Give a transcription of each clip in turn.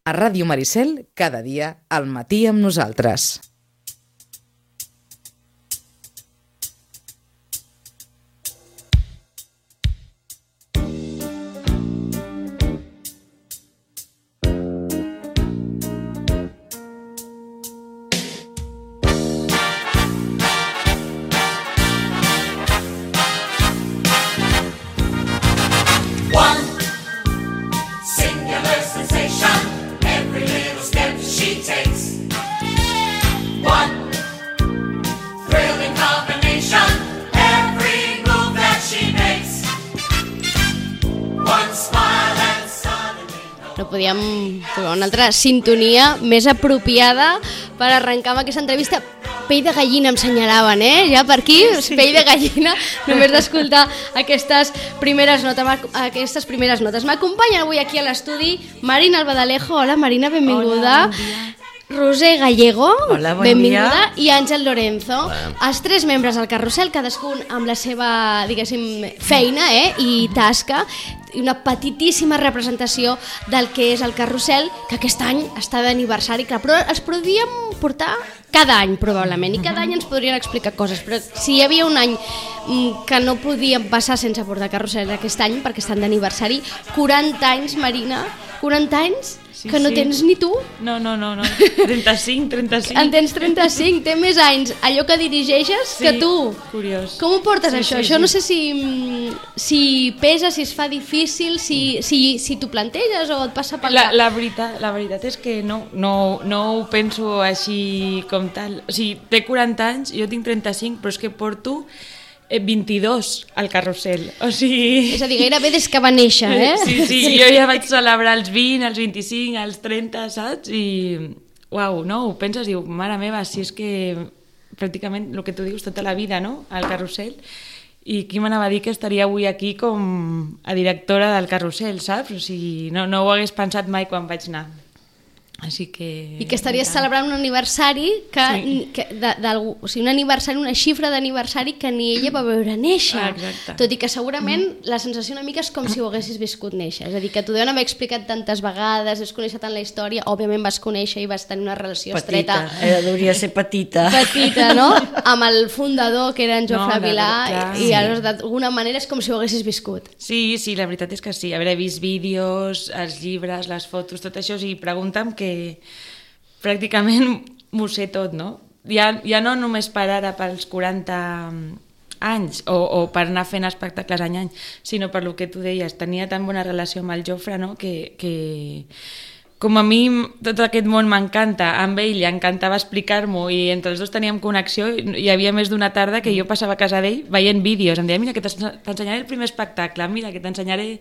A Ràdio Maricel, cada dia, al matí amb nosaltres. No podíem trobar una altra sintonia més apropiada per arrencar amb aquesta entrevista. Pell de gallina em senyalaven, ja per aquí, sí. Pell de gallina, només d'escoltar aquestes primeres notes. M'acompanyen avui aquí a l'estudi Marina Albadalejo. Hola Marina, benvinguda. Hola, bon dia. Roser Gallego, hola, bon benvinguda, dia. I Àngel Lorenzo. Hola. Els tres membres del carrusel, cadascun amb la seva, diguéssim, feina i tasca, i una petitíssima representació del que és el carrusel, que aquest any està d'aniversari, clar, però els podríem portar cada any probablement, i cada any ens podrien explicar coses, però si hi havia un any que no podíem passar sense portar carrusel aquest any, perquè estan d'aniversari, 40 anys, Marina, 40 anys? Sí, que no tens ni tu? No, 35. En tens 35, té més anys allò que dirigeixes que tu. Curiós. Com ho portes això? Això no sé si pesa, si es fa difícil, si t'ho planteges o et passa pel cap. La veritat és que no ho penso així com tal. O sigui, té 40 anys, jo tinc 35, però és que porto 22 al carrusel, o sigui... És a dir, gairebé des que va néixer, Sí, jo ja vaig celebrar els 20, els 25, els 30, saps? I, uau, no, ho penses, diu, mare meva, si és que pràcticament el que tu dius tota la vida, no?, al carrusel, i qui m'anava a dir que estaria avui aquí com a directora del carrusel, saps? O sigui, no ho hagués pensat mai quan vaig anar. Així que... I que estaries celebrant un aniversari o sigui, un aniversari, una xifra d'aniversari que ni ella va veure néixer. Exacte. Tot i que segurament la sensació una mica és com si ho haguessis viscut néixer. És a dir, que t'ho deuen haver explicat tantes vegades, has conèixer tant la història, òbviament vas conèixer i vas tenir una relació estreta. Hauria de ser petita. Petita, no? Amb el fundador, que era en Jofre Vilà, i d'alguna manera és com si ho haguessis viscut. Sí, la veritat és que sí. Haver vist vídeos, els llibres, les fotos, tot això, i pregunta'm que pràcticament m'ho sé tot, no? Ja no només per ara, pels 40 anys, o per anar fent espectacles any, sinó per lo que tu deies, tenia tan bona relació amb el Jofre, no?, que com a mi tot aquest món m'encanta, amb ell li encantava explicar-m'ho i entre els dos teníem connexió, hi havia més d'una tarda que jo passava a casa d'ell veient vídeos, em deia, mira que t'ensenyaré el primer espectacle, mira que t'ensenyaré...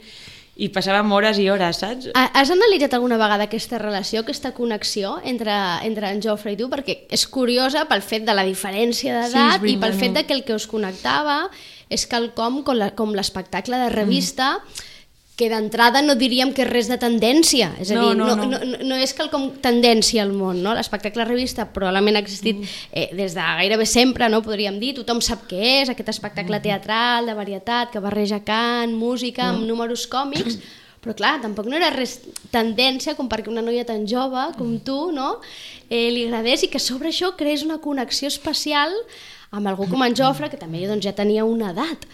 I passàvem hores i hores, saps? Has analitzat alguna vegada aquesta relació, aquesta connexió entre en Jofre i tu? Perquè és curiosa pel fet de la diferència d'edat i pel fet de que el que us connectava és quelcom com l'espectacle de revista que d'entrada no diríem que és res de tendència, és a dir, no és quelcom tendència al món, no? L'espectacle revista probablement ha existit des de gairebé sempre, no? Podríem dir, tothom sap què és, aquest espectacle teatral de varietat que barreja cant, música amb números còmics, però clar, tampoc no era res tendència com perquè una noia tan jove com tu, no? Li agradés i que sobre això creés una connexió especial amb algú com en Jofre, que també ja tenia una edat.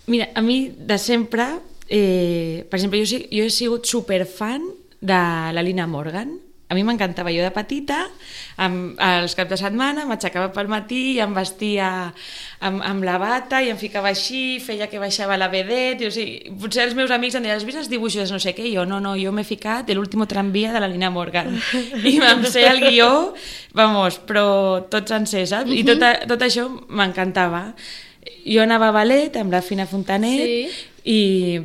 Mira, a mi de sempre... per exemple, jo he sigut superfan de la Lina Morgan. A mi m'encantava, jo de petita, als caps de setmana m'aixecava pel matí i em vestia amb la bata i em ficava així, feia que baixava la vedette, o sigui, potser els meus amics em deien, has vist els dibuixos, no sé què, i jo no, jo m'he ficat l'último tranvia de la Lina Morgan i vam ser el guió, però tot sencer, saps? I tot això m'encantava. Jo anava a ballet amb la Fina Fontanet,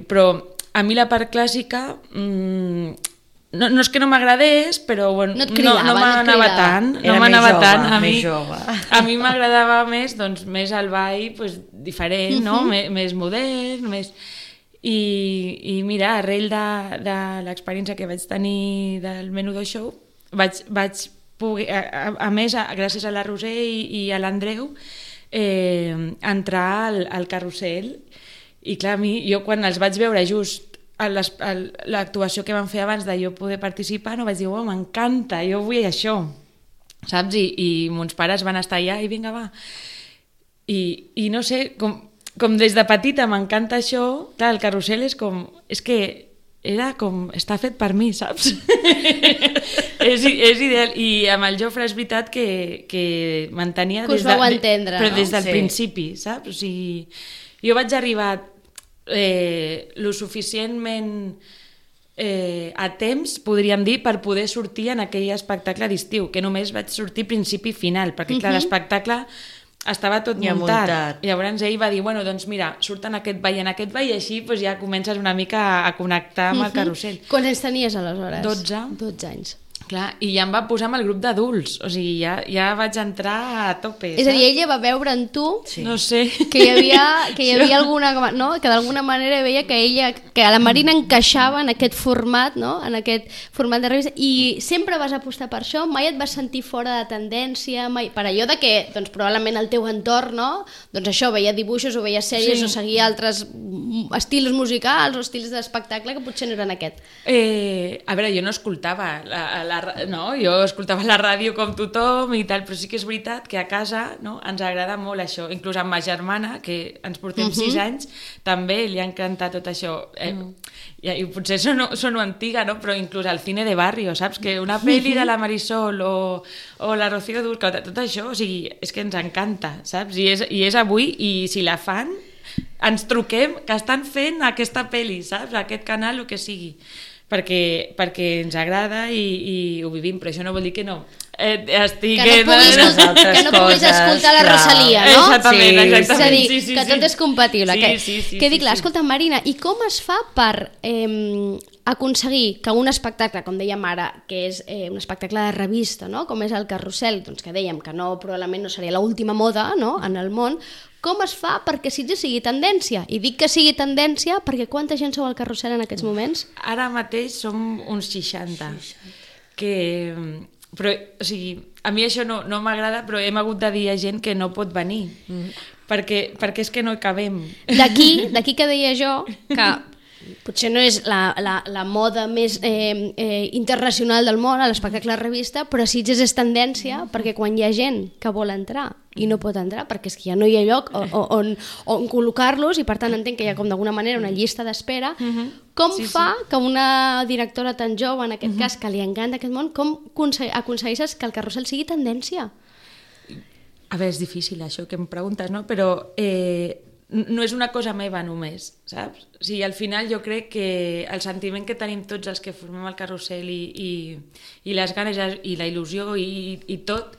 però a mi la part clàssica no és que no m'agradés, però bueno, no m'anava tant. A mi m'agradava més el ball diferent, no? Més modern, i mira, arrel de l'experiència que vaig tenir del Menudo Show, vaig poder, a més, gràcies a la Roser i a l'Andreu, entrar al carrusel. I clar, jo quan els vaig veure just l'actuació que van fer abans de jo poder participar, no vaig dir, m'encanta, jo vull això, saps? I mons pares van estar allà i vinga, va. I no sé, com des de petita m'encanta això, clar, el carrusel és que era com, està fet per mi, saps? és ideal, i amb el Jofre és veritat que mantenia que us vau entendre, però no? des del principi, saps? O sigui, jo vaig arribar lo suficientment a temps, podríem dir, per poder sortir en aquell espectacle d'estiu, que només vaig sortir principi i final, perquè clar, l'espectacle estava tot muntat. Llavors ell va dir, bueno, doncs mira, surt en aquest ball, i així doncs ja comences una mica a connectar amb el carrusel. Quants anys tenies aleshores? 12 anys. Clar, i ja em va posar amb el grup d'adults, o sigui, ja vaig entrar a tope, saps? És a dir, ella va veure en tu no sé. que hi havia alguna... No? Que d'alguna manera veia que la Marina encaixava en aquest format, no? En aquest format de revista, i sempre vas apostar per això? Mai et vas sentir fora de tendència? Mai... Per allò de que, doncs, probablement el teu entorn, no? Doncs això, veia dibuixos o veia sèries o seguia altres estils musicals o estils d'espectacle que potser no eren aquest. A veure, jo no escoltava jo escoltava la ràdio com tothom i tal, però sí que és veritat que a casa, no, ens agrada molt això, inclús amb ma germana, que ens portem 6 anys, també li ha encantat tot això. I potser sono antiga, no? Però inclús al cine de barrio, saps? Que una pel·li de la Marisol o la Rocío Dúrcal, tot això, o sigui, és que ens encanta, saps? I és avui, i si la fan, ens truquem que estan fent aquesta pel·li, saps? Aquest canal, o que sigui. Perquè ens agrada i ho vivim, però això no vol dir que no estic... Que no puguis escoltar la Rosalía, no? Exactament. És a dir, que tot és compatible. Que dic, clar, escolta, Marina, i com es fa per aconseguir que un espectacle, com dèiem ara, que és un espectacle de revista, no? Com és el Carrusel, doncs que dèiem que probablement no seria l'última moda, no? En el món, com es fa perquè Sitges sigui tendència? I dic que sigui tendència perquè quanta gent sou al Carrusel en aquests moments? Ara mateix som uns 60. Però, o sigui, a mi això no m'agrada, però hem hagut de dir a gent que no pot venir, perquè és que no hi cabem. D'aquí que deia jo que potser no és la moda més internacional del món, l'espectacle de revista, però Sitges és tendència perquè quan hi ha gent que vol entrar i no pot entrar perquè és que ja no hi ha lloc on col·locar-los, i per tant entenc que hi ha com d'alguna manera una llista d'espera. Com fa que una directora tan jove, en aquest cas, que li encanta aquest món, com aconsegueixes que el Carrusel sigui tendència? A veure, és difícil això que em preguntes, no? Però no és una cosa meva només, saps? O sigui, al final jo crec que el sentiment que tenim tots els que formem el Carrusel i les ganes i la il·lusió i tot,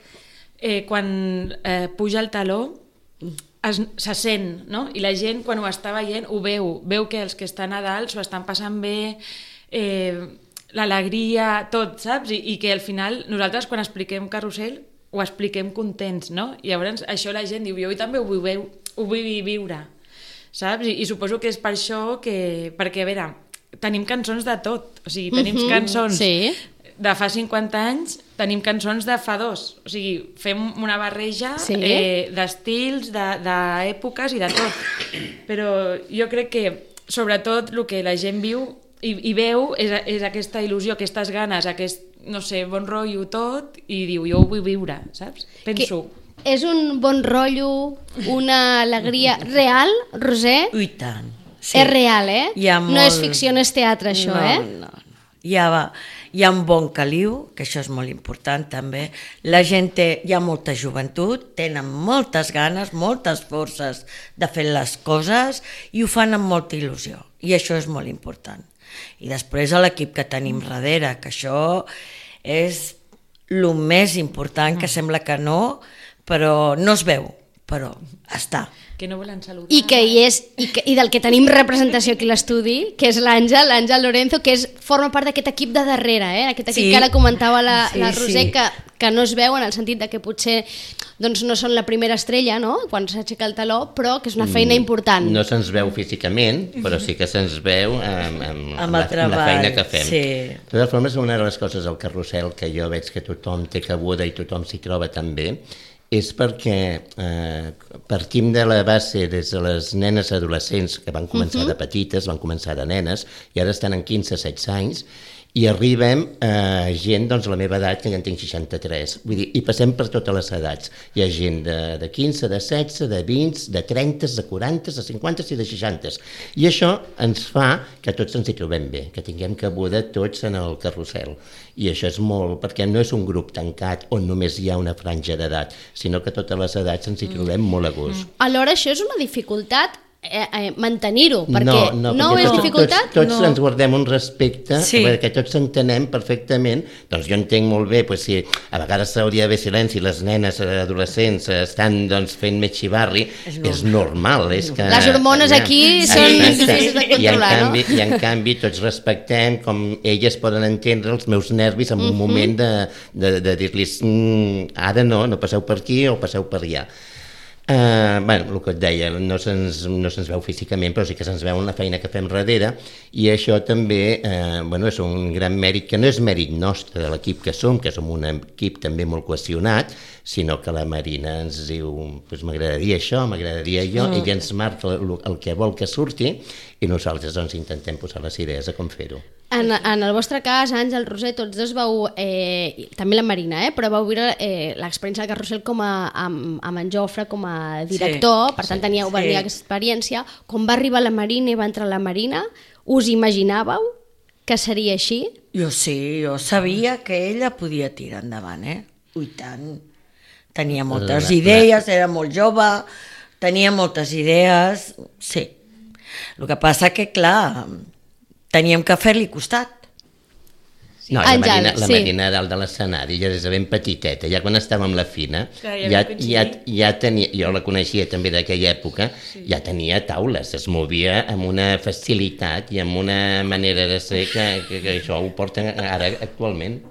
quan puja el taló se sent, no? I la gent quan ho està veient ho veu que els que estan a dalt s'ho estan passant bé, l'alegria, tot, saps? I que al final nosaltres quan expliquem Carrusel ho expliquem contents, no? I llavors això la gent diu, jo també ho vull viure, saps? I suposo que és per això perquè, a veure, tenim cançons de tot, o sigui, tenim cançons de fa 50 anys, tenim cançons de fa 2, o sigui, fem una barreja d'estils, d'èpoques i de tot, però jo crec que sobretot el que la gent viu i veu és aquesta il·lusió, aquestes ganes, aquest, no sé, bon rotllo tot, i diu, jo ho vull viure, saps? Penso... És un bon rotllo, una alegria real, Roser? I tant. Sí. És real, No és ficció, no és teatre, això, No. Hi ha un bon caliu, que això és molt important també. La gent hi ha molta joventut, tenen moltes ganes, moltes forces de fer les coses i ho fan amb molta il·lusió. I això és molt important. I després l'equip que tenim darrere, que això és el més important, que sembla que no, però no es veu, però està. Que no volen saludar. I del que tenim representació aquí a l'estudi, que és l'Àngel Lorenzo, que forma part d'aquest equip de darrere, aquest equip que ara comentava la Roser, que no es veu en el sentit de que potser doncs, no són la primera estrella, no?, quan s'aixeca el taló, però que és una feina important. No se'ns veu físicament, però sí que se'ns veu amb la feina que fem. Sí. De totes formes, una de les coses del Carrusel que jo veig que tothom té cabuda i tothom s'hi troba també, és perquè partim de la base des de les nenes adolescents que van començar de petites, van començar de nenes i ara estan en 15-16 anys i arribem a gent doncs, a la meva edat, que ja en tinc 63, vull dir, i passem per totes les edats. Hi ha gent de 15, de 16, de 20, de 30, de 40, de 50 i de 60. I això ens fa que tots ens hi trobem bé, que tinguem cabuda tots en el carrusel. I això és molt, perquè no és un grup tancat on només hi ha una franja d'edat, sinó que totes les edats ens hi trobem molt a gust. Alhora, això és una dificultat mantenir-ho, perquè no és dificultat? Tots ens guardem un respecte, perquè tots entenem perfectament, doncs jo entenc molt bé, doncs si a vegades hauria d'haver silenci, les nenes adolescents estan doncs, fent més xivarri, és normal. És que, les hormones aquí són difícils de controlar, no? I en canvi tots respectem com elles poden entendre els meus nervis en un moment de dir-los ara no passeu per aquí o passeu per allà. Bueno, el que et deia, no se'ns veu físicament, però sí que se'ns veu en la feina que fem darrere, i això també és un gran mèrit, que no és mèrit nostre de l'equip que som un equip també molt cohesionat, sinó que la Marina ens diu m'agradaria això, m'agradaria allò, ella ens marca el que vol que surti i nosaltres doncs intentem posar les idees a com fer-ho. En el vostre cas, Àngel, Roser, tots dos vau, també la Marina, però vau viure l'experiència del carrusel amb en Jofre com a director, per tant teníeu aquesta experiència. Quan va arribar la Marina i va entrar la Marina, us imaginàveu que seria així? Jo sí, jo sabia que ella podia tirar endavant, i tant. Tenia moltes idees, era molt jove, tenia moltes idees, sí. El que passa que, clar, teníem que fer-li costat. No, la Marina dalt de l'escenari, ja des de ben petiteta, ja quan estava amb la Fina, ja tenia, jo la coneixia també d'aquella època, ja tenia taules, es movia amb una facilitat i amb una manera de ser que això ho porta ara actualment.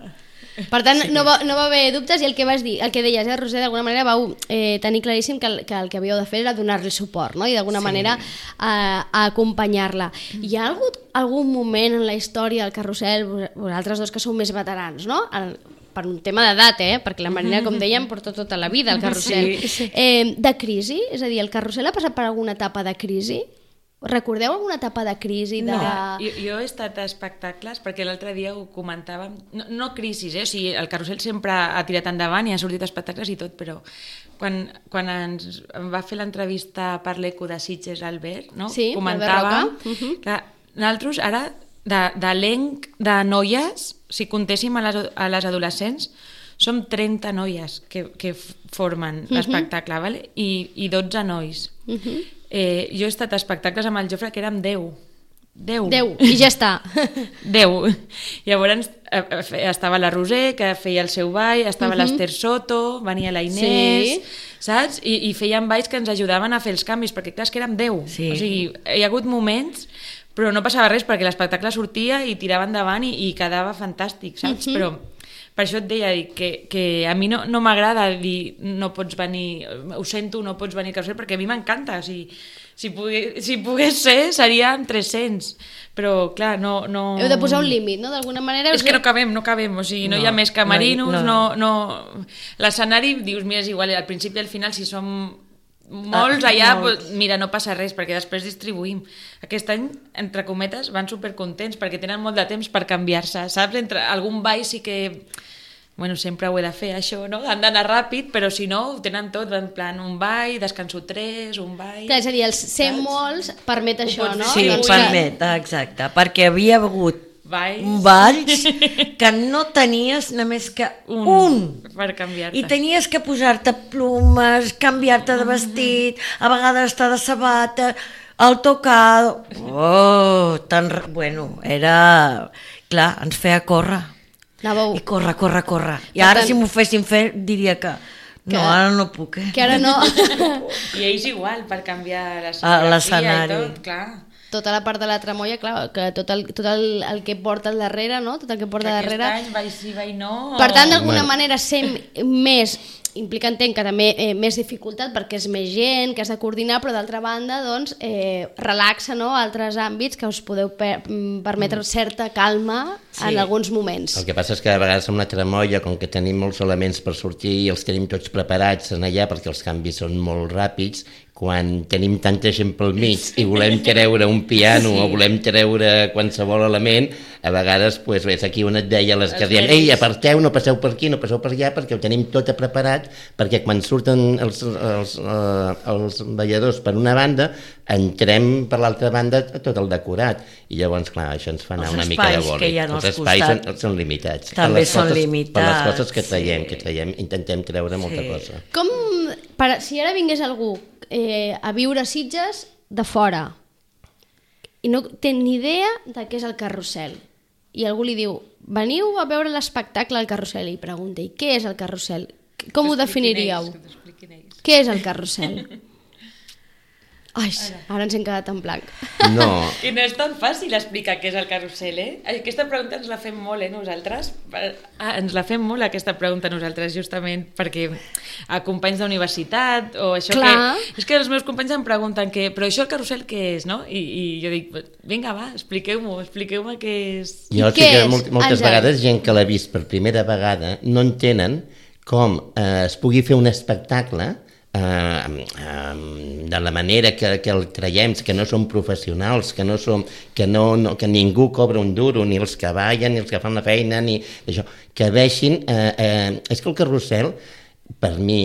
Per tant, no va haver dubtes, i el que vas dir, el que deies, Roser, d'alguna manera vau tenir claríssim que el que havíeu de fer era donar-li suport, no? I d'alguna manera acompanyar-la. Hi ha hagut algun moment en la història del carrusel, vosaltres dos que sou més veterans, no? Per un tema d'edat, perquè la Marina, com dèiem, porta tota la vida al carrusel. De crisi? És a dir, el carrusel ha passat per alguna etapa de crisi? Recordeu alguna etapa de crisi? No, jo he estat a espectacles, perquè l'altre dia ho comentàvem, no crisis, o sigui, el carrusel sempre ha tirat endavant i ha sortit espectacles i tot, però quan ens va fer l'entrevista per l'Eco de Sitges, Albert, no? Comentàvem que nosaltres ara, d'elenc de noies, si comptéssim a les adolescents, som 30 noies que formen l'espectacle, vale? I 12 nois. Jo he estat a espectacles amb el Jofre que érem 10, i ja està. 10. Llavors estava la Roser, que feia el seu ball, estava l'Ester Soto, venia la Inés, saps? I feien balls que ens ajudaven a fer els canvis, perquè clar, és que érem 10. O sigui, hi ha hagut moments, però no passava res, perquè l'espectacle sortia i tirava endavant i quedava fantàstic, saps? Però per això et deia que a mi no m'agrada dir no pots venir, ho sento, no pots venir al carrusel, perquè a mi m'encanta, si pogués ser serien 300, però clar, no... Heu de posar un límit, no? D'alguna manera... És que no cabem, o sigui, no hi ha més camerinos, l'escenari, dius, mira, és igual, al principi i al final, si som molts allà, mira, no passa res, perquè després distribuïm. Aquest any, entre cometes, van supercontents, perquè tenen molt de temps per canviar-se, saps? Entre algun ball sí que... Bueno, sempre ho he de fer, això, no? Han d'anar ràpid, però si no, ho tenen tot, en plan, un ball, descanso 3, un ball... Clar, és a dir, els ser molts permet això, no? Sí, permet, exacte, perquè havia hagut balls que no tenies només que un per canviar-te. I tenies que posar-te plomes, canviar-te de vestit, a vegades estar de sabata, el tocado... Bueno, era... Clar, ens feia córrer. I córrer. I ara si m'ho fessin fer diria que no, ara no puc. Que ara no. I ells igual, per canviar l'escenari i tot, clar. tota la part de la tramoia, clar, que tot el que porta al darrere, no? Tot el que porta Aquest darrere... any vai sí, vai no... Per tant, d'alguna manera, ser més... Implica, entenc, que també més dificultat perquè és més gent, que has de coordinar, però d'altra banda, doncs, relaxa, no?, altres àmbits que us podeu permetre certa calma en alguns moments. El que passa és que a vegades amb la tramoia, com que tenim molts elements per sortir i els tenim tots preparats en allà perquè els canvis són molt ràpids, quan tenim tanta gent pel mig i volem treure un piano o volem treure qualsevol element, a vegades doncs, és aquí on et deia les que diem, ei, aparteu, no passeu per aquí, no passeu per allà, perquè ho tenim tot preparat, perquè quan surten els balladors per una banda, entrem per l'altra banda tot el decorat, i llavors, clar, això ens fa anar una mica de boli. Els espais són limitats. També són limitats. Per les coses que traiem, intentem treure molta cosa. Com, si ara vingués algú a viure a Sitges de fora i no té ni idea de què és el carrusel i algú li diu, veniu a veure l'espectacle al carrusel, i pregunta, i què és el carrusel? Com ho definiríeu? Què és el carrusel? Ai, ara ens hem quedat en blanc. No. I no és tan fàcil explicar què és el carrusel, Aquesta pregunta ens la fem molt, nosaltres. Ens la fem molt, aquesta pregunta, nosaltres, justament perquè a companys d'universitat o això Clar. que... És que els meus companys em pregunten però això el carrusel què és, no? I jo dic, vinga, va, expliqueu-me què és. Jo sé que moltes vegades gent que l'ha vist per primera vegada no entenen com es pugui fer un espectacle de la manera que el traiem, que no som professionals, que ningú cobra un duro, ni els que ballen, ni els que fan la feina, ni això, que vegin... és que el carrusel, per mi,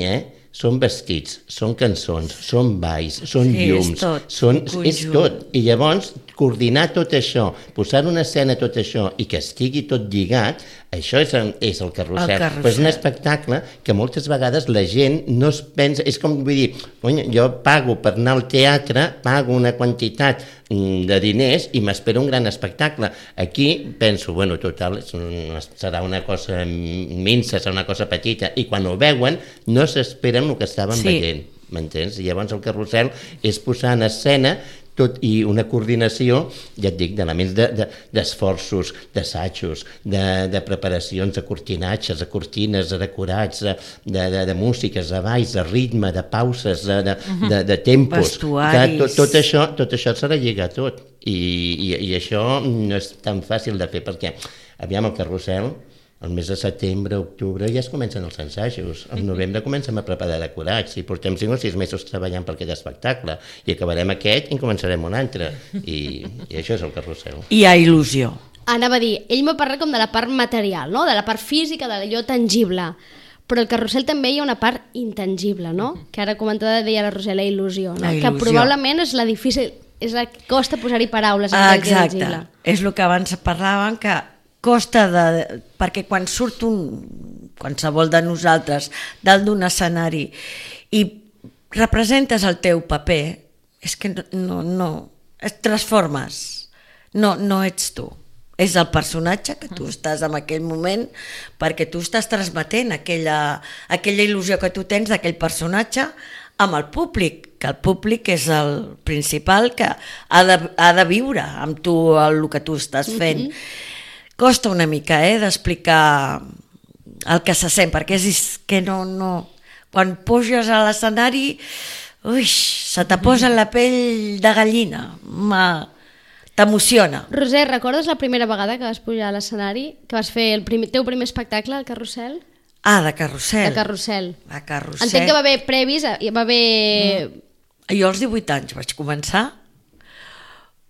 són vestits, són cançons, són balls, són llums, és tot. I llavors, coordinar tot això, posar una escena tot això i que estigui tot lligat, això és el carrusel. Però és un espectacle que moltes vegades la gent no es pensa... És com, vull dir, jo pago per anar al teatre, pago una quantitat de diners i m'espero un gran espectacle. Aquí penso, bueno, total, serà una cosa minsa, serà una cosa petita, i quan ho veuen no s'esperen el que estaven veient, m'entens? I llavors el carrusel és posar en escena tot i una coordinació, ja et dic, d'elements d'esforços, d'assajos, de preparacions, de cortinatges, de cortines, de decorats, de músiques, de balls, de ritme, de pauses, de tempos. Vestuaris. Tot això s'ha de lligar tot. I això no és tan fàcil de fer, perquè, aviam, el carrusel, el mes de setembre, octubre, ja es comencen els ensajos. Al novembre comencem a preparar decorats i portem 5 o 6 mesos treballant per aquest espectacle i acabarem aquest i en començarem un altre. I això és el carrusel. Hi ha il·lusió. Anava a dir, ell m'ha parlat com de la part material, no? De la part física, de allò tangible. Però el carrusel també hi ha una part intangible, no? Que ara comentava, deia la Roser, la il·lusió, no? Que probablement és la difícil, és la que costa posar-hi paraules. Exacte, és el que abans parlàvem, que costa perquè quan surt qualsevol de nosaltres dalt d'un escenari i representes el teu paper, és que no et transformes, no ets tu, és el personatge que tu estàs en aquell moment, perquè tu estàs transmetent aquella il·lusió que tu tens d'aquell personatge amb el públic, que el públic és el principal que ha de viure amb tu el que tu estàs fent. Costa una mica d'explicar el que se sent, perquè és que no... Quan puges a l'escenari, se te posa la pell de gallina, t'emociona. Roser, recordes la primera vegada que vas pujar a l'escenari, que vas fer el teu primer espectacle al carrusel? De carrusel. De carrusel. De carrusel. Entenc que va haver previs, va haver... Jo als 18 anys vaig començar,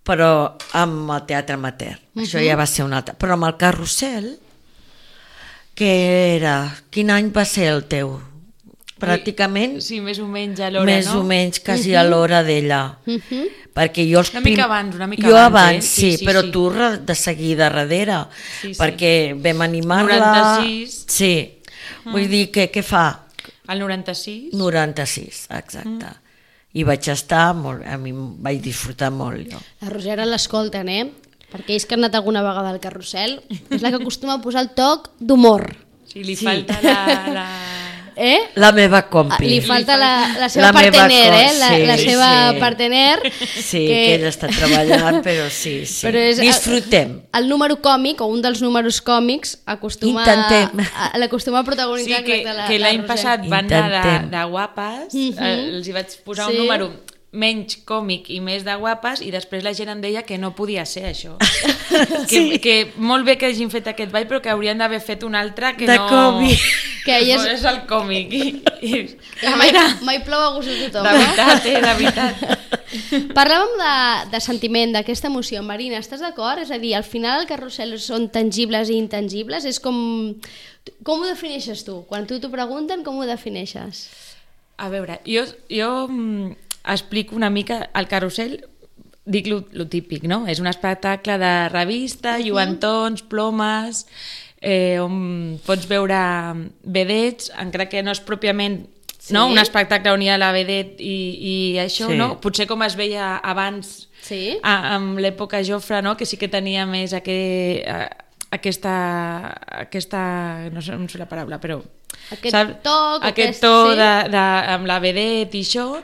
però amb el teatre amateur. Això ja va ser un altre. Però amb el carrusel, què era? Quin any va ser el teu? Pràcticament... Sí, més o menys a l'hora, no? Més o menys, quasi a l'hora d'ella. Perquè jo una mica abans. Jo abans, sí, però tu de seguida darrere, perquè vam animar-la... 96. Sí, vull dir, què fa? El 96. 96, exacte. I vaig estar molt, a mi vaig disfrutar molt. Jo. La Roser l'escolten, perquè ells que han anat alguna vegada al carrusel, és la que acostuma a posar el toc d'humor. Sí, li falta la... La meva compi. Li falta la seva partener, la seva partener. Sí, que ella està treballant, però sí. Disfrutem. El número còmic, o un dels números còmics, l'acostuma a protagonitzar. Sí, que l'any passat van anar de guapes, els hi vaig posar un número menys còmic i més de guapes, i després la gent em deia que no podia ser això. Que molt bé que hagin fet aquest ball, però que haurien d'haver fet un altre que no... De còmic. Que és el còmic. Mai plou a gust de tothom. De veritat. Parlàvem de sentiment, d'aquesta emoció. Marina, estàs d'acord? És a dir, al final el carrusel són tangibles i intangibles? És com ho defineixes tu? Quan tu t'ho pregunten, com ho defineixes? A veure, jo explico una mica el carrusel, dic lo típic, no? És un espectacle de revista, lluentons, plomes, on pots veure vedets, encara que no és pròpiament un espectacle on hi ha la vedet i això, no? Potser com es veia abans, amb l'època Jofre, no? Que sí que tenia més aquesta no sé la paraula, però aquest to amb la vedet i això,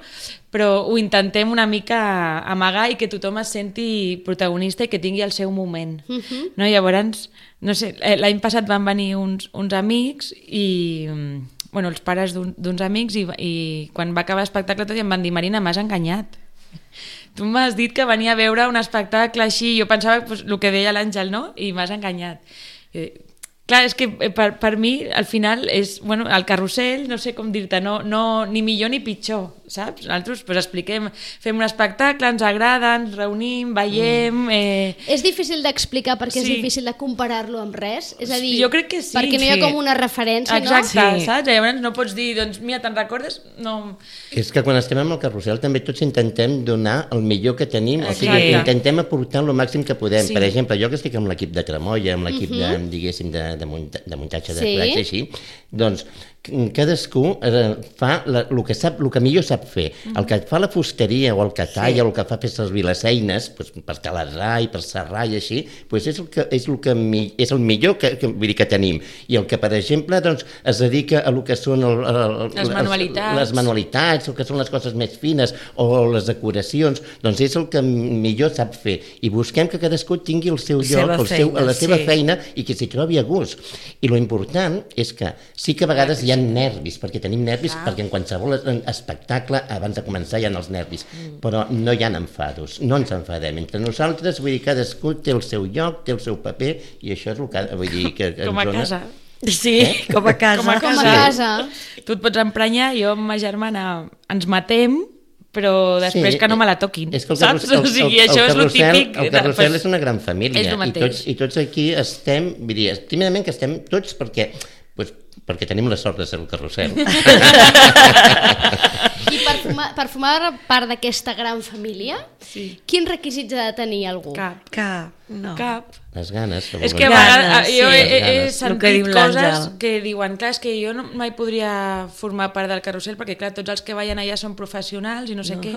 però ho intentem una mica amagar i que tothom es senti protagonista i que tingui el seu moment. No? Llavors, no sé, l'any passat van venir uns amics i els pares d'uns amics i quan va acabar l'espectacle tot i em van dir: Marina, m'has enganyat. Tu m'has dit que venia a veure un espectacle així, jo pensava el que deia l'Àngel, no? I m'has enganyat. Clar, és que per mi al final és el carrusel, no sé com dir-te, no ni millor ni pitjor, saps? Nosaltres expliquem, fem un espectacle, ens agrada, ens reunim, veiem... És difícil d'explicar perquè és difícil de comparar-lo amb res? És a dir, jo crec que sí, perquè no hi ha com una referència, no? Exacte, saps? Llavors no pots dir, doncs mira, te'n recordes? No. És que quan estem amb el carrusel també tots intentem donar el millor que tenim, o sigui, intentem aportar el màxim que podem. Per exemple, jo que estic amb l'equip de Tremolla, amb l'equip diguéssim, de muntatge de plats i així, doncs cadascú fa el que millor sap fer. El que fa la fusteria o el que talla o el que fa fer servir les eines per taladrar i per serrar i així, és el millor que tenim. I el que, per exemple, es dedica a el que són les manualitats, el que són les coses més fines o les decoracions, doncs és el que millor sap fer. I busquem que cadascú tingui el seu lloc, la seva feina i que s'hi trobi a gust. I lo important és que sí que a vegades hi ha nervis, perquè tenim nervis, perquè en qualsevol espectacle abans de començar hi ha els nervis, però no hi ha enfados, no ens enfadem entre nosaltres, vull dir, cadascú té el seu lloc, té el seu paper, i això és el que vull dir que com a casa. Sí, com a casa. Tu et pots emprenyar, jo amb ma germana ens matem, però després que no me la toquin, saps? O sigui, això és el típic. El carrusel és una gran família i tots aquí estem, vull dir, tímidament que estem tots perquè tenim la sort de ser el carrusel. I per formar part d'aquesta gran família, quins requisits ha de tenir algú? Cap. Les ganes. És que a vegades jo he sentit coses que diuen, clar, és que jo mai podria formar part del carrusel perquè, clar, tots els que ballen allà són professionals i no sé què.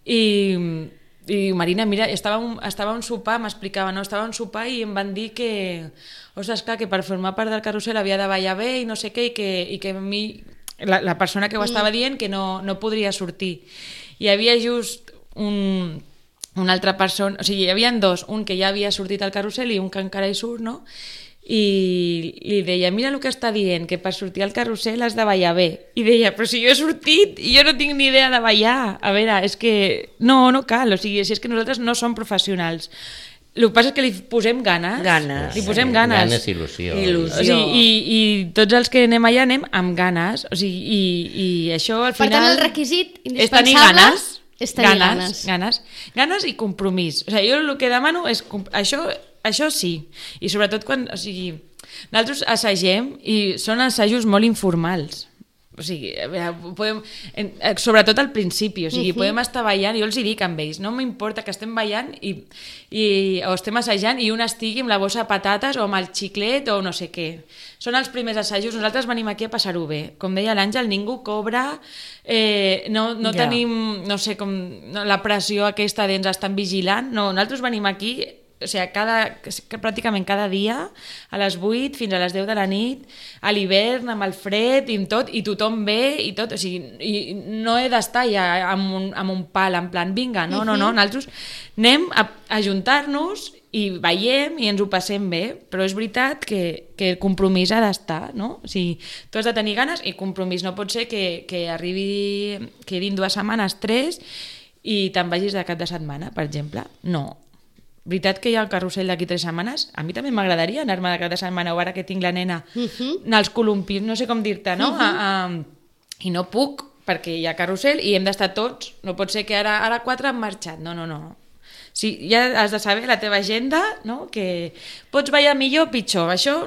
I Marina, mira, estava a un sopar, m'explicava, no? Estava a un sopar i em van dir que, ostres, clar, que per formar part del carrusel havia de ballar bé i no sé què, i que a mi, la persona que ho estava dient, que no podria sortir. Hi havia just una altra persona, o sigui, hi havia dos, un que ja havia sortit al carrusel i un que encara hi surt, no? I li deia, mira el que està dient, que per sortir al carrusel has de ballar bé. I deia, però si jo he sortit i jo no tinc ni idea de ballar. A veure, és que no cal, o sigui, si és que nosaltres no som professionals. El que passa és que li posem ganes. Li posem ganes. Ganes, il·lusió. O sigui, i tots els que anem allà anem amb ganes. O sigui, i això al final... Per tant, el requisit indispensable és tenir ganes. Ganes i compromís. O sigui, jo el que demano és... Això sí, i sobretot quan... O sigui, nosaltres assagem i són assajos molt informals. O sigui, sobretot al principi, o sigui, podem estar ballant, jo els hi dic amb ells, no m'importa que estem ballant o estem assajant i un estigui amb la bossa de patates o amb el xiclet o no sé què. Són els primers assajos, nosaltres venim aquí a passar-ho bé. Com deia l'Àngel, ningú cobra, no tenim, no sé, com la pressió aquesta d'ens estan vigilant, no, nosaltres venim aquí o sigui, pràcticament cada dia, a les 8 fins a les 10 de la nit, a l'hivern, amb el fred i amb tot, i tothom ve i tot, o sigui, i no he d'estar ja amb un pal, en plan, vinga, no, nosaltres anem a ajuntar-nos i veiem i ens ho passem bé, però és veritat que el compromís ha d'estar, no? O sigui, tu has de tenir ganes i compromís, no pot ser que quedin 2 setmanes, 3, i te'n vagis de cap de setmana, per exemple. No. Veritat que hi ha el carrusel d'aquí 3 setmanes? A mi també m'agradaria anar-me de cap de setmana, o ara que tinc la nena, anar als columpis, no sé com dir-te, no? I no puc, perquè hi ha carrusel i hem d'estar tots. No pot ser que ara 4 han marxat. No. Sí, ja has de saber la teva agenda, no? Que pots ballar millor o pitjor. Això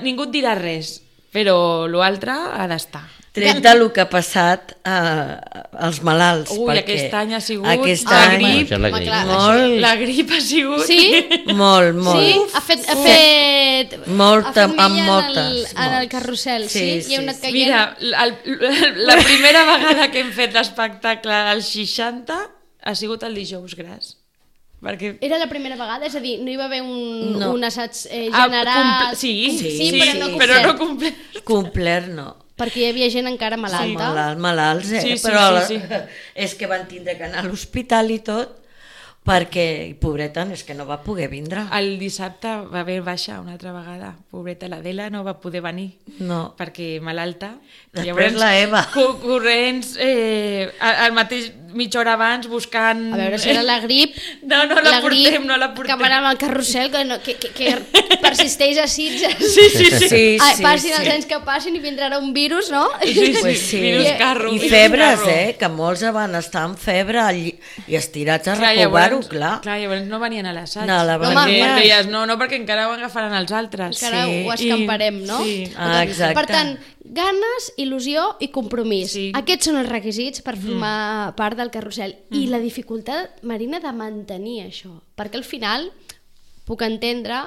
ningú et dirà res, però l'altre ha d'estar. Tret del que ha passat als malalts. Ui, aquest any ha sigut la grip. La grip ha sigut... Sí? Molt. Sí? Ha fet molta. En el carrusel, sí? I heu anat caient. Mira, la primera vegada que hem fet l'espectacle als 60 ha sigut el dijous gras. Perquè... Era la primera vegada? És a dir, no hi va haver un assaig general... Sí, però no complet. Complet no. Perquè hi havia gent encara malalta. Malalts, però és que van tindre que anar a l'hospital i tot, perquè, pobreta, és que no va poder vindre. El dissabte va haver baixa una altra vegada. Pobreta, l'Adela no va poder venir. No. Perquè malalta. Després la Eva. Corrents, al mateix mitja hora abans buscant... A veure si era la grip. No la portem. Que van amb el carrusel, que persisteix a Sitges. Sí. Passin els anys que passin i vindrà un virus, no? Sí. Virus carro. I febres, que molts van estar amb febre i estirats a recovar-ho, clar. Clar, llavors no venien a l'assaig. Deies, no, perquè encara ho agafaran els altres. Encara ho escamparem, no? Sí. Exacte. Per tant, ganes, il·lusió i compromís. Sí. Aquests són els requisits per formar part del carrusel. I la dificultat, Marina, de mantenir això. Perquè al final puc entendre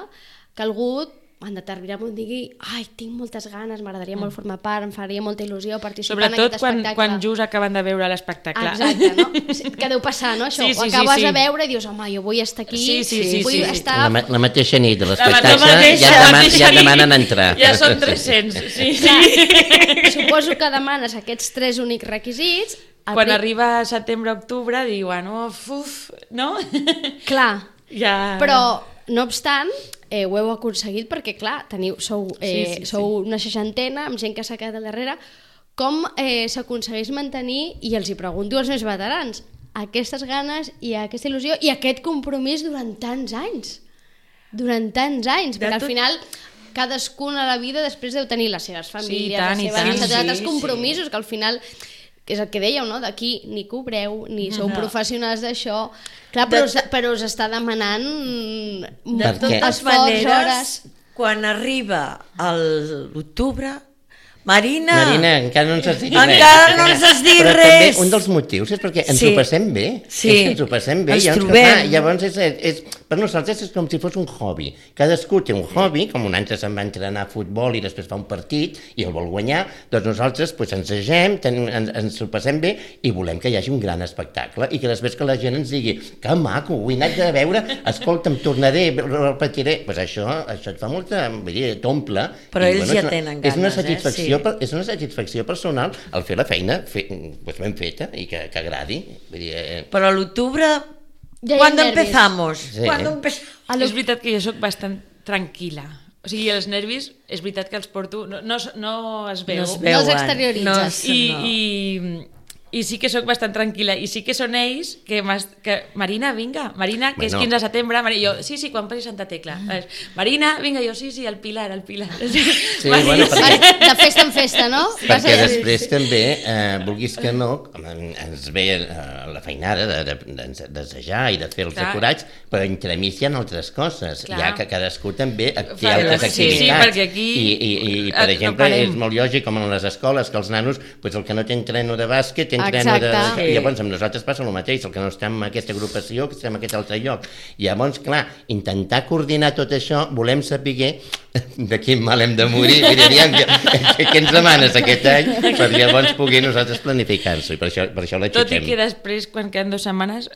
que algú en determinat moment digui tinc moltes ganes, m'agradaria molt formar part, em faria molta il·lusió participar en aquest espectacle. Sobretot quan just acaben de veure l'espectacle. Exacte, no? Que deu passar, no? Això, ho acabes de veure i dius, home, jo vull estar aquí, vull estar... La mateixa nit de l'espectacle ja et demanen entrar. Ja són 300, sí. Suposo que demanes aquests 3 únics requisits. Quan arriba setembre-octubre diuen, no? Clar, ja... però no obstant, ho heu aconseguit perquè, clar, sou una 60ena amb gent que s'ha quedat al darrere. Com s'aconsegueix mantenir, i els hi pregunto als més veterans, aquestes ganes i aquesta il·lusió i aquest compromís durant tants anys? Perquè al final cadascun a la vida després deu tenir les seves famílies, els compromisos, que al final... que és el que dèieu, no? D'aquí ni cobreu, ni sou professionals d'això. Clar, però us està demanant de totes maneres, quan arriba l'octubre, Marina, encara no ens has dit res. Encara no ens has dit res. Però també un dels motius és perquè ens ho passem bé. Sí. És que ens ho passem bé. Ens trobem. Llavors, per nosaltres és com si fos un hobby. Cadascú té un hobby, com un altre se'n va entrenar a futbol i després fa un partit i el vol guanyar, doncs nosaltres ens agem, ens ho passem bé i volem que hi hagi un gran espectacle i que després que la gent ens digui que maco, ho he anat de veure, escolta'm, tornaré, repetiré. Doncs això et fa molta, t'omple. Però ells ja tenen ganes, és una satisfacció. És una satisfacció personal el fer la feina ben feta i que agradi. Però a l'octubre, quan empezamos? És veritat que jo soc bastant tranquil·la. O sigui, els nervis, és veritat que els porto... No es veu. No els exterioritzes. I sí que sóc bastant tranquil·la, i sí que són ells que Marina, vinga, Marina, que és 15 de setembre, jo, sí, quan passi Santa Tecla, Marina, vinga, jo, sí, el Pilar. Sí, bueno, de festa en festa, no? Perquè després també, vulguis que no, ens ve la feinada d'assajar i de fer els decorats, però entremig hi ha altres coses, ja que cadascú també té altres activitats, i per exemple, és molt lògic, com en les escoles, que els nanos, el que no té entreno de bàsquet, llavors amb nosaltres passa el mateix, el que no estem en aquesta agrupació, que estem en aquest altre lloc. Llavors, clar, intentar coordinar tot això, volem saber de quin mal hem de morir, què ens demanes aquest any, per llavors poder nosaltres planificar-s'ho, i per això l'aixequem. Tot i que després, quan queden 2 setmanes,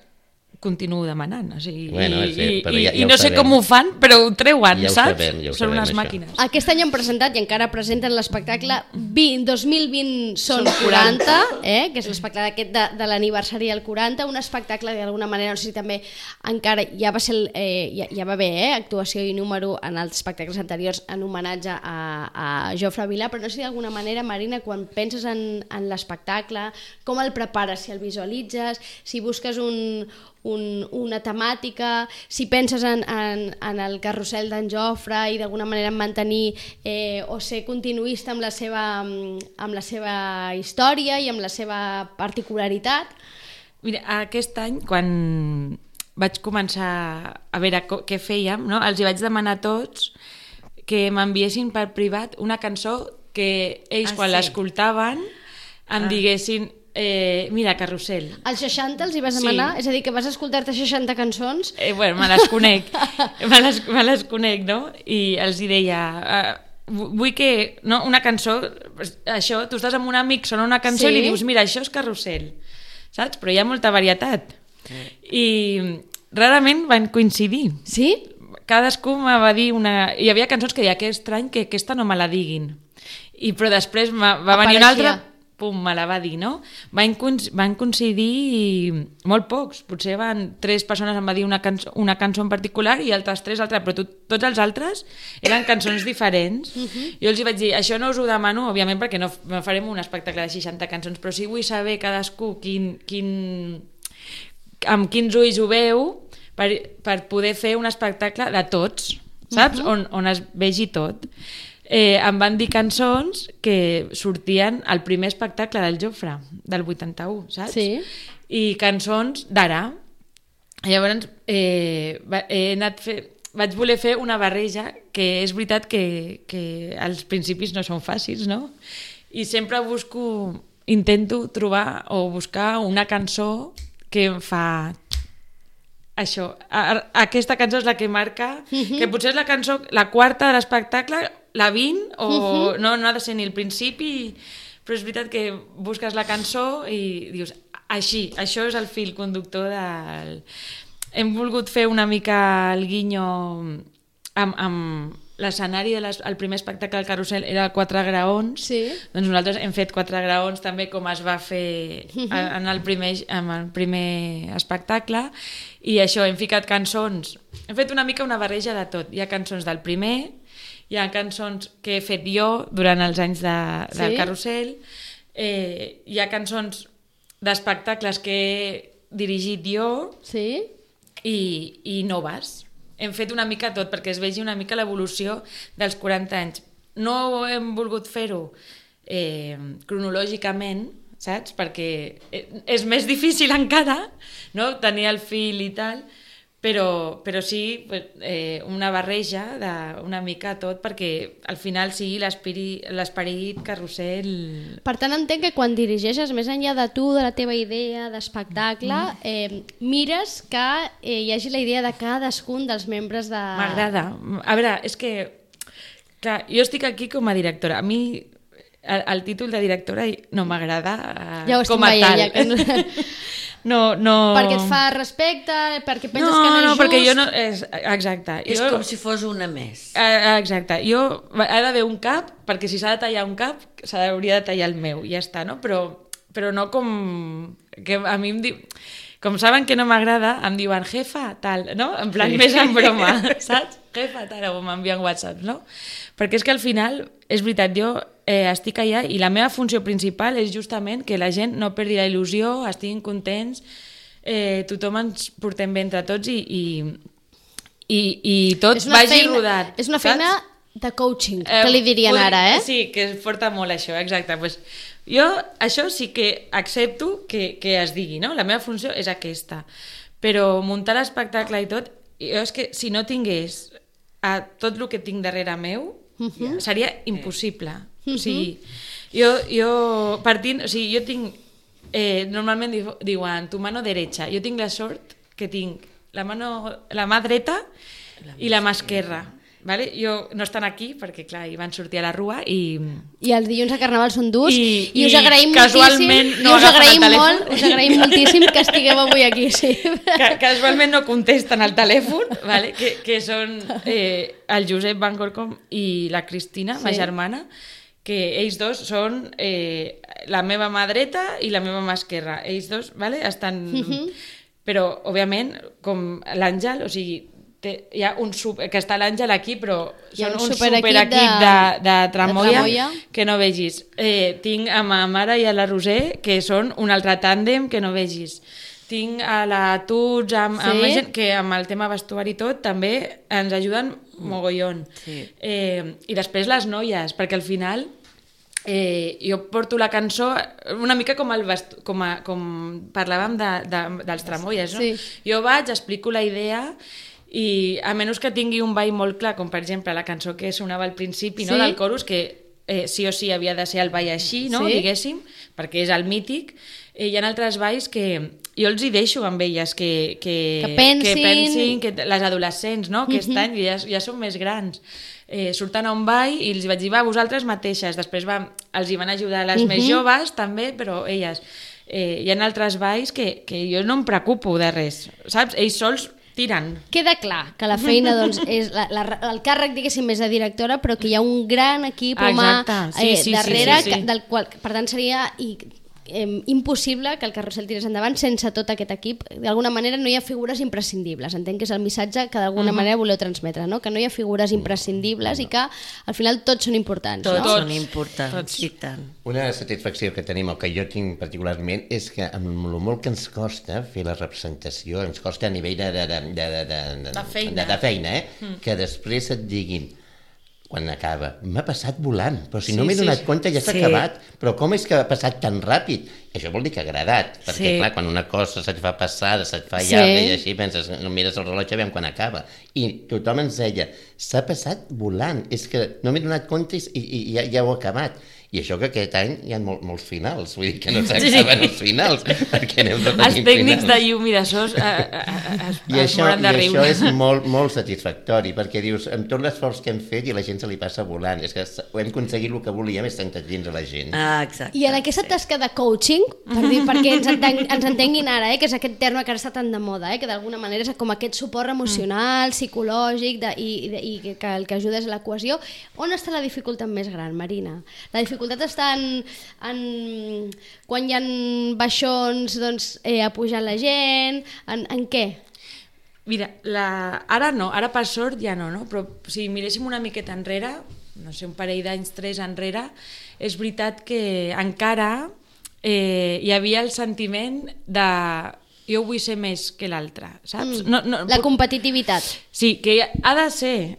continuo demanant. O sigui, Bueno, sí, però ja i ho no sé sabem. com ho fan, però ho treuen, Ja ho saps? sabem, ja ho Són sabem, unes això. màquines. Aquest any han presentat i encara presenten l'espectacle 2020 són 40, que és l'espectacle aquest de l'aniversari del 40, un espectacle que d'alguna manera, no sé si també encara ja va ser ja va haver actuació i número en els espectacles anteriors en homenatge a Jofre Vilà, però no sé si d'alguna manera, Marina, quan penses en l'espectacle, com el prepares, si el visualitzes, si busques una temàtica, si penses en el carrusel d'en Jofre i d'alguna manera en mantenir o ser continuista amb la seva història i amb la seva particularitat. Mira, aquest any, quan vaig començar a veure què fèiem, no? Els hi vaig demanar a tots que m'enviessin per privat una cançó que ells, quan l'escoltaven, em diguessin mira, Carrusel. Als 60 els hi vas demanar? Sí. És a dir, que vas escoltar-te 60 cançons? Bueno, me les conec. me les conec, no? I els hi deia... vull que... No, una cançó... Això, tu estàs amb un amic, sona una cançó i li dius, mira, això és Carrusel. Saps? Però hi ha molta varietat. I rarament van coincidir. Sí? Cadascú me va dir una... Hi havia cançons que deia, que estrany que aquesta no me la diguin. Però després va venir una altra, pum, me la va dir, no? Van coincidir molt pocs. Potser 3 persones em va dir una cançó en particular i altres 3 altres, però tots els altres eren cançons diferents. Jo els hi vaig dir, això no us ho demano, òbviament, perquè no farem un espectacle de 60 cançons, però sí vull saber cadascú amb quins ulls ho veu per poder fer un espectacle de tots, saps? On es vegi tot. Em van dir cançons que sortien al primer espectacle del Jofre, del 81, saps? Sí. I cançons d'ara. Llavors vaig voler fer una barreja, que és veritat que als principis no són fàcils, no? I sempre intento trobar o buscar una cançó que em fa... Això, aquesta cançó és la que marca, que potser és la cançó, la quarta de l'espectacle, la 20, o no ha de ser ni el principi, però és veritat que busques la cançó i dius, això és el fil conductor del... Hem volgut fer una mica el guinyo amb l'escenari del primer espectacle del Carrusel era 4 graons, doncs nosaltres hem fet 4 graons també com es va fer en el primer espectacle, i això, hem ficat cançons, hem fet una mica una barreja de tot. Hi ha cançons del primer, hi ha cançons que he fet jo durant els anys del Carrusel, hi ha cançons d'espectacles que he dirigit jo i noves. Hem fet una mica tot perquè es vegi una mica l'evolució dels 40 anys. No hem volgut fer-ho cronològicament, saps? Perquè és més difícil encara, no? Tenir el fil i tal, però sí una barreja d'una mica tot perquè al final sigui l'esperit Carrusel. Per tant, entenc que quan dirigeixes, més enllà de tu, de la teva idea d'espectacle, mires que hi hagi la idea de cadascun dels membres de... M'agrada. A veure, és que clar, jo estic aquí com a directora. A mi el títol de directora no m'agrada com a tal. No. Perquè et fa respecte, perquè penses que no és just... perquè jo no... Exacte. És com si fos una més. Exacte. Ha d'haver un cap, perquè si s'ha de tallar un cap, s'hauria de tallar el meu, i ja està, no? Però no com... Que a mi em diu... Com saben que no m'agrada, em diuen jefa, tal, no? En plan més en broma, saps? Jefa, tal, o m'envien WhatsApp, no? Perquè és que al final, és veritat, jo estic allà i la meva funció principal és justament que la gent no perdi la il·lusió, estiguin contents, tothom ens portem bé entre tots i tot vagi rodat. És una feina de coaching, que li dirien ara, eh? Sí, que es porta molt això, exacte. Pues, jo això sí que accepto que es digui, no? La meva funció és aquesta. Però muntar l'espectacle i tot, jo és que si no tingués tot el que tinc darrere meu, seria impossible. O sigui, jo partint, o sigui, jo tinc, normalment diuen tu mano derecha, jo tinc la sort que tinc la mà dreta i la mà esquerra. vale? No estan aquí, perquè clar, hi van sortir a la rua i els dilluns a Carnaval són durs i us agraïm casualment moltíssim, no agafen el telèfon. us agraïm moltíssim que estigueu avui aquí, sí. Casualment no contesten al telèfon, vale? que són el Josep Van Gorcom i la Cristina, ma germana, que ells dos són la meva mà dreta i la meva mà esquerra. Ells dos, vale? Estan... Però, òbviament, com l'Àngel, o sigui, hi ha que està l'Àngel aquí, però són un superequip de Tramoia que no vegis. Tinc a ma mare i a la Roser, que són un altre tàndem que no vegis. Tinc a la Tuts, amb gent que amb el tema vestuari i tot també ens ajuden mogollon. I després les noies, perquè al final... jo porto la cançó una mica com parlàvem dels Tramoies, no? Jo vaig, explico la idea i a menys que tingui un ball molt clar, com per exemple la cançó que sonava al principi, no? Del Corus, que sí o sí havia de ser el ball així, no? Diguéssim, perquè és el mític. Hi ha altres balls que jo els hi deixo amb elles que pensin, que les adolescents, no? Aquest any ja són més grans. Surten a un ball i els vaig dir, vosaltres mateixes. Després els hi van ajudar les més joves també, però elles. Hi ha altres balls que jo no em preocupo de res, saps? Ells sols tiren. Queda clar que la feina doncs, és el càrrec, diguéssim, més de directora, però que hi ha un gran equip humà darrere, del qual, per tant, seria impossible que el Carrusel tirés endavant sense tot aquest equip. D'alguna manera no hi ha figures imprescindibles. Entenc que és el missatge que d'alguna manera voleu transmetre, no? Que no hi ha figures imprescindibles i que al final tots són importants. Tots són importants, i tant. Una satisfacció que tenim, o que jo tinc particularment, és que amb el molt que ens costa fer la representació, ens costa a nivell de feina, que després et diguin quan acaba, m'ha passat volant, però si no m'he donat compte ja s'ha acabat, però com és que ha passat tan ràpid? Això vol dir que ha agradat, perquè clar, quan una cosa se't fa passada, se't fa llarga i així penses, no mires el rellotge, aviam quan acaba. I tothom ens deia, s'ha passat volant, és que no m'he donat compte i ja ho he acabat. I això que aquest any hi ha molts finals, vull dir que no s'acaben els finals, perquè anem repetint finals. Els tècnics de llum i de sos es moren de riure. I això és molt satisfactori, perquè dius, amb tot l'esforç que hem fet i la gent se li passa volant, és que hem aconseguit el que volíem, és sentar dins a la gent. Exacte. I en aquesta tasca de coaching, perquè ens entenguin ara, que és aquest terme que ara està tan de moda, que d'alguna manera és com aquest suport emocional, psicològic i que el que ajuda és la cohesió. On està la dificultat més gran, Marina? La dificultat està quan hi ha baixons a pujar la gent, en què? Mira, ara per sort ja no, però si miréssim una miqueta enrere, no sé, un parell d'anys, 3 enrere, és veritat que encara hi havia el sentiment de jo vull ser més que l'altre, saps? La competitivitat. Sí, que ha de ser...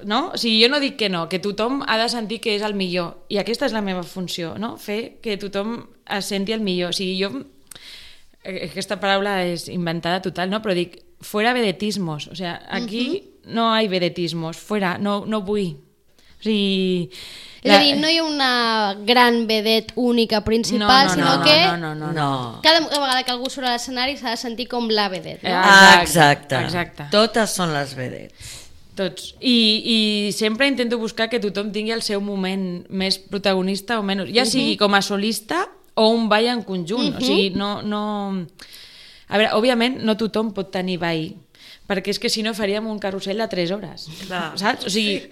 No? O sigui, jo no dic que no, que tothom ha de sentir que és el millor, i aquesta és la meva funció, no? Fer que tothom es senti el millor. O sigui, aquesta paraula és inventada total, no? Però dic, fuera vedetismos, o sigui, aquí no hay vedetismos, fuera, no vull. O sigui... És a dir, no hi ha una gran vedet única principal, sinó que cada vegada que algú surt a l'escenari s'ha de sentir com la vedet. Exacte. Totes són les vedets. Tots. I sempre intento buscar que tothom tingui el seu moment més protagonista o menys, ja sigui com a solista o un ball en conjunt. O sigui, no... A veure, òbviament no tothom pot tenir ball, perquè és que si no faríem un carrusel de 3 hores, saps? O sigui,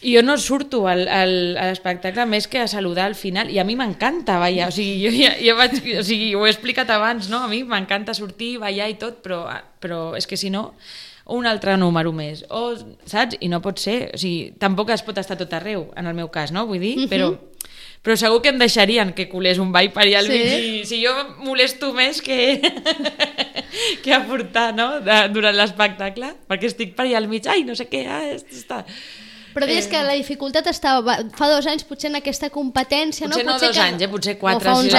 jo no surto a l'espectacle més que a saludar al final, i a mi m'encanta ballar, o sigui, ho he explicat abans, no? A mi m'encanta sortir, ballar i tot, però és que si no... un altre número més, saps? I no pot ser, o sigui, tampoc es pot estar tot arreu, en el meu cas, no? Vull dir, però segur que em deixarien que colés un ball per allà al mig, si jo molesto més que aportar, no? Durant l'espectacle, perquè estic per allà al mig, no sé què, està... Però deies que la dificultat estava fa 2 anys potser en aquesta competència, potser no 2 anys, potser 4 fa uns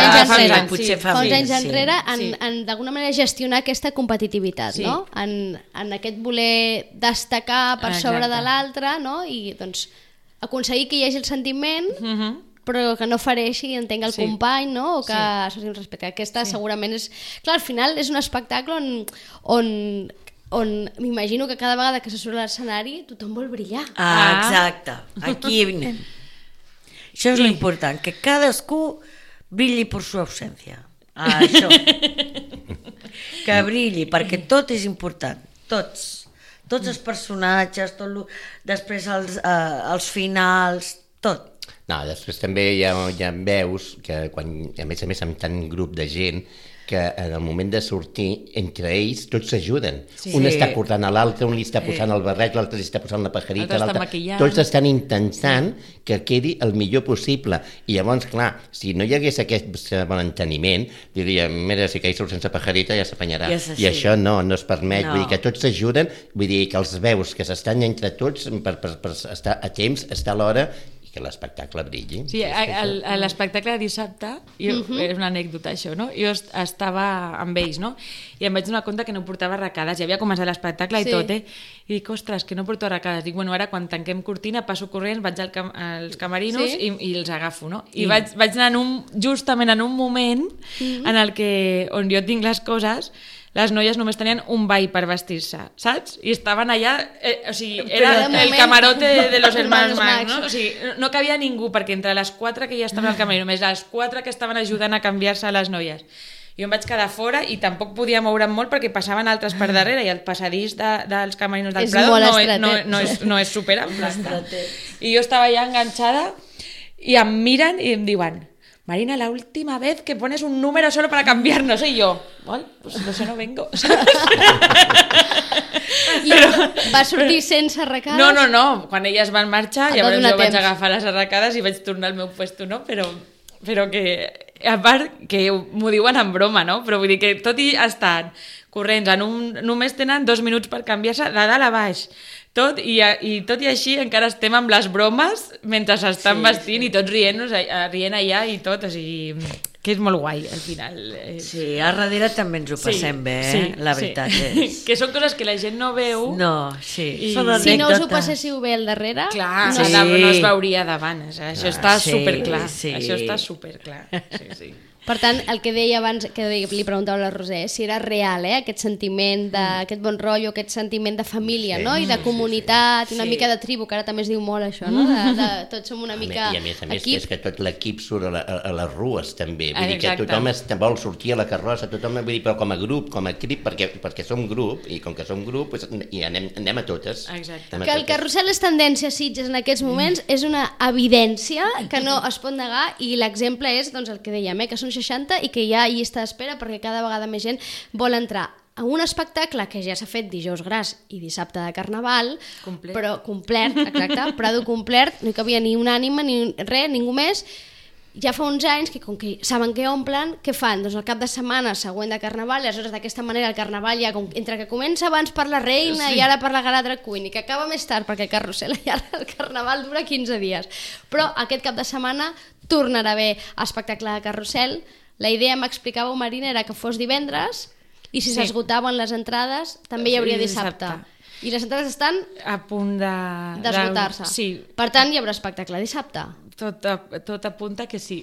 anys enrere en d'alguna manera gestionar aquesta competitivitat, no? En aquest voler destacar per sobre de l'altre, no? I doncs aconseguir que hi hagi el sentiment però que no fereixi, entenc, el company, no? O que s'hagi un respecte. Aquesta segurament és... Clar, al final és un espectacle on on m'imagino que cada vegada que se surt a l'escenari tothom vol brillar. Exacte, aquí anem. Això és l'important, que cadascú brilli per su ausència. Això. Que brilli, perquè tot és important, tots els personatges, després els finals, tot. No, després també hi ha veus que, a més amb tant grup de gent, que en el moment de sortir, entre ells, tots s'ajuden. Sí. Un està cortant a l'altre, un li està posant el barret, l'altre li està posant la pajarita, tots estan intentant que quedi el millor possible. I llavors, clar, si no hi hagués aquest bon enteniment, diríem, mira, si que surt sense pajarita ja s'apanyarà. I això no es permet. Vull dir que tots s'ajuden, vull dir que els veus que s'estan entre tots per estar a temps, estar a l'hora, que l'espectacle brilli. Sí, l'espectacle de dissabte, és una anècdota això, no? Jo estava amb ells, no? I em vaig donar compte que no portava arracades, ja havia començat l'espectacle i tot, I dic, ostres, que no porto arracades. Dic, bueno, ara quan tanquem cortina, passo corrents, vaig als camerinos i els agafo, no? I vaig anar justament en un moment en el que, on jo tinc les coses, les noies només tenien un ball per vestir-se, saps? I estaven allà, o sigui, era el camarote de los hermanos Max, no? O sigui, no cabia ningú, perquè entre les 4 que ja estaven al camerino, més les 4 que estaven ajudant a canviar-se a les noies. Jo em vaig quedar fora i tampoc podia moure'm molt perquè passaven altres per darrere i el passadís dels camerinos del Prado no és superample. I jo estava allà enganxada i em miren i em diuen: Marina, la última vez que pones un número solo para cambiarnos. Y yo, bueno, pues no sé, no vengo. Però... Va sortir sense arracades? No. Quan elles van marxar, llavors jo vaig agafar les arracades i vaig tornar al meu puesto, no? Però que, a part, que m'ho diuen en broma, no? Però vull dir que tot i estar corrents, només tenen 2 minuts per canviar-se de dalt a baix. Tot i així encara estem amb les bromes mentre s'estan vestint i tots rient allà i tot, o sigui, que és molt guai al final. Sí, a darrere també ens ho passem bé, la veritat és. Que són coses que la gent no veu. No, sí. Si no us ho passéssiu bé al darrere... Clar, no es veuria davant, això està superclar. Això està superclar, sí. Per tant, el que deia abans, que li preguntava a la Roser, si era real, aquest sentiment d'aquest bon rotllo, aquest sentiment de família, no? I de comunitat, i una mica de tribu, que ara també es diu molt això, no? Tots som una mica equip. I a més és que tot l'equip surt a les rues també, vull dir que tothom vol sortir a la carrossa, tothom, vull dir, però com a grup, com a equip, perquè som grup, i com que som grup, i anem a totes. Exacte. Que el carrusel és tendència a Sitges en aquests moments és una evidència que no es pot negar, i l'exemple és el que dèiem, que són 60 i que hi ha llista d'espera perquè cada vegada més gent vol entrar a un espectacle que ja s'ha fet dijous gras i dissabte de Carnaval, però complet, Prado complet, no hi cabia ni una ànima ni res, ningú més. Ja fa uns anys que com que saben que omplen, què fan? Doncs el cap de setmana següent de Carnaval, i aleshores d'aquesta manera el Carnaval ja, entre que comença abans per la Reina i ara per la Gala Drag Queen i que acaba més tard perquè el Carrusel i ara el Carnaval dura 15 dies, però aquest cap de setmana tornarà a haver espectacle de Carrusel. La idea, m'explicàveu, Marina, era que fos divendres i si s'esgotaven les entrades també hi hauria dissabte. I les entrades estan a punt d'esgotar-se. Sí. Per tant, hi haurà espectacle dissabte. Tot apunta que sí.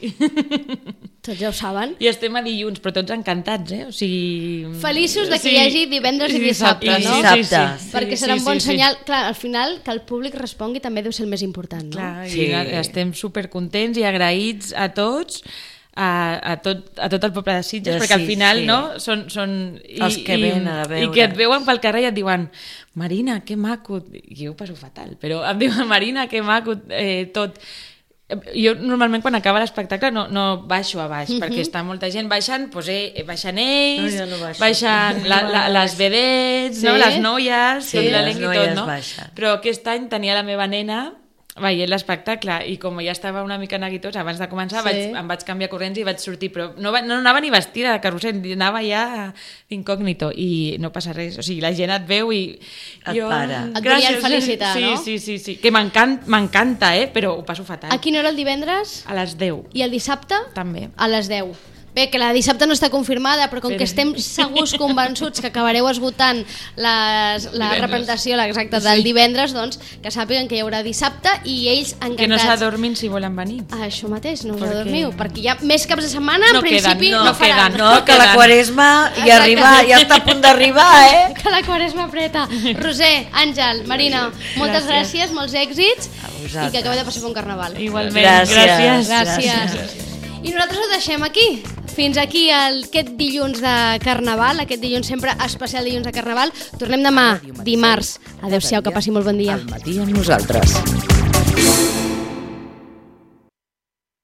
Tots ja ho saben. I estem a dilluns, però tots encantats, O sigui... Feliços de que hi hagi divendres i dissabte, no? Dissabte. Perquè serà un bon senyal. Clar, al final, que el públic respongui també deu ser el més important, no? Clar, i estem supercontents i agraïts a tots, a tot el poble de Sitges, perquè al final són els que venen a veure i que et veuen pel carrer i et diuen: Marina, que maco, i jo ho passo fatal, però em diuen: Marina, que maco, tot. Jo normalment quan acaba l'espectacle no baixo a baix, perquè està molta gent baixant, baixen ells, baixen les vedets, les noies, tot l'elenc i tot, no? Però aquest any tenia la meva nena veient l'espectacle i com ja estava una mica neguitós abans de començar, em vaig canviar corrents i vaig sortir, però no anava ni vestida de carrusel, anava ja d'incògnito i no passa res, o sigui, la gent et veu i jo... Et volien felicitar, no? Sí, que m'encanta, però ho passo fatal. A quina hora el divendres? A les 10. I el dissabte? També. A les 10. Bé, que la dissabte no està confirmada, però com que estem segurs convençuts que acabareu esgotant la representació exacta del divendres, doncs que sàpiguen que hi haurà dissabte i ells encantats. Que no s'adormin si volen venir. Això mateix, no us adormiu, perquè hi ha més caps de setmana, en principi no faran. No, que la Quaresma ja està a punt d'arribar, Que la Quaresma apreta. Roser, Àngel, Marina, moltes gràcies, molts èxits i que acabeu de passar per un carnaval. Igualment, Gràcies. I nosaltres ho deixem aquí. Fins aquí aquest dilluns de Carnaval, aquest dilluns sempre especial dilluns de Carnaval. Tornem demà, dimarts. Adéu-siau, que passi molt bon dia. Al matí amb nosaltres.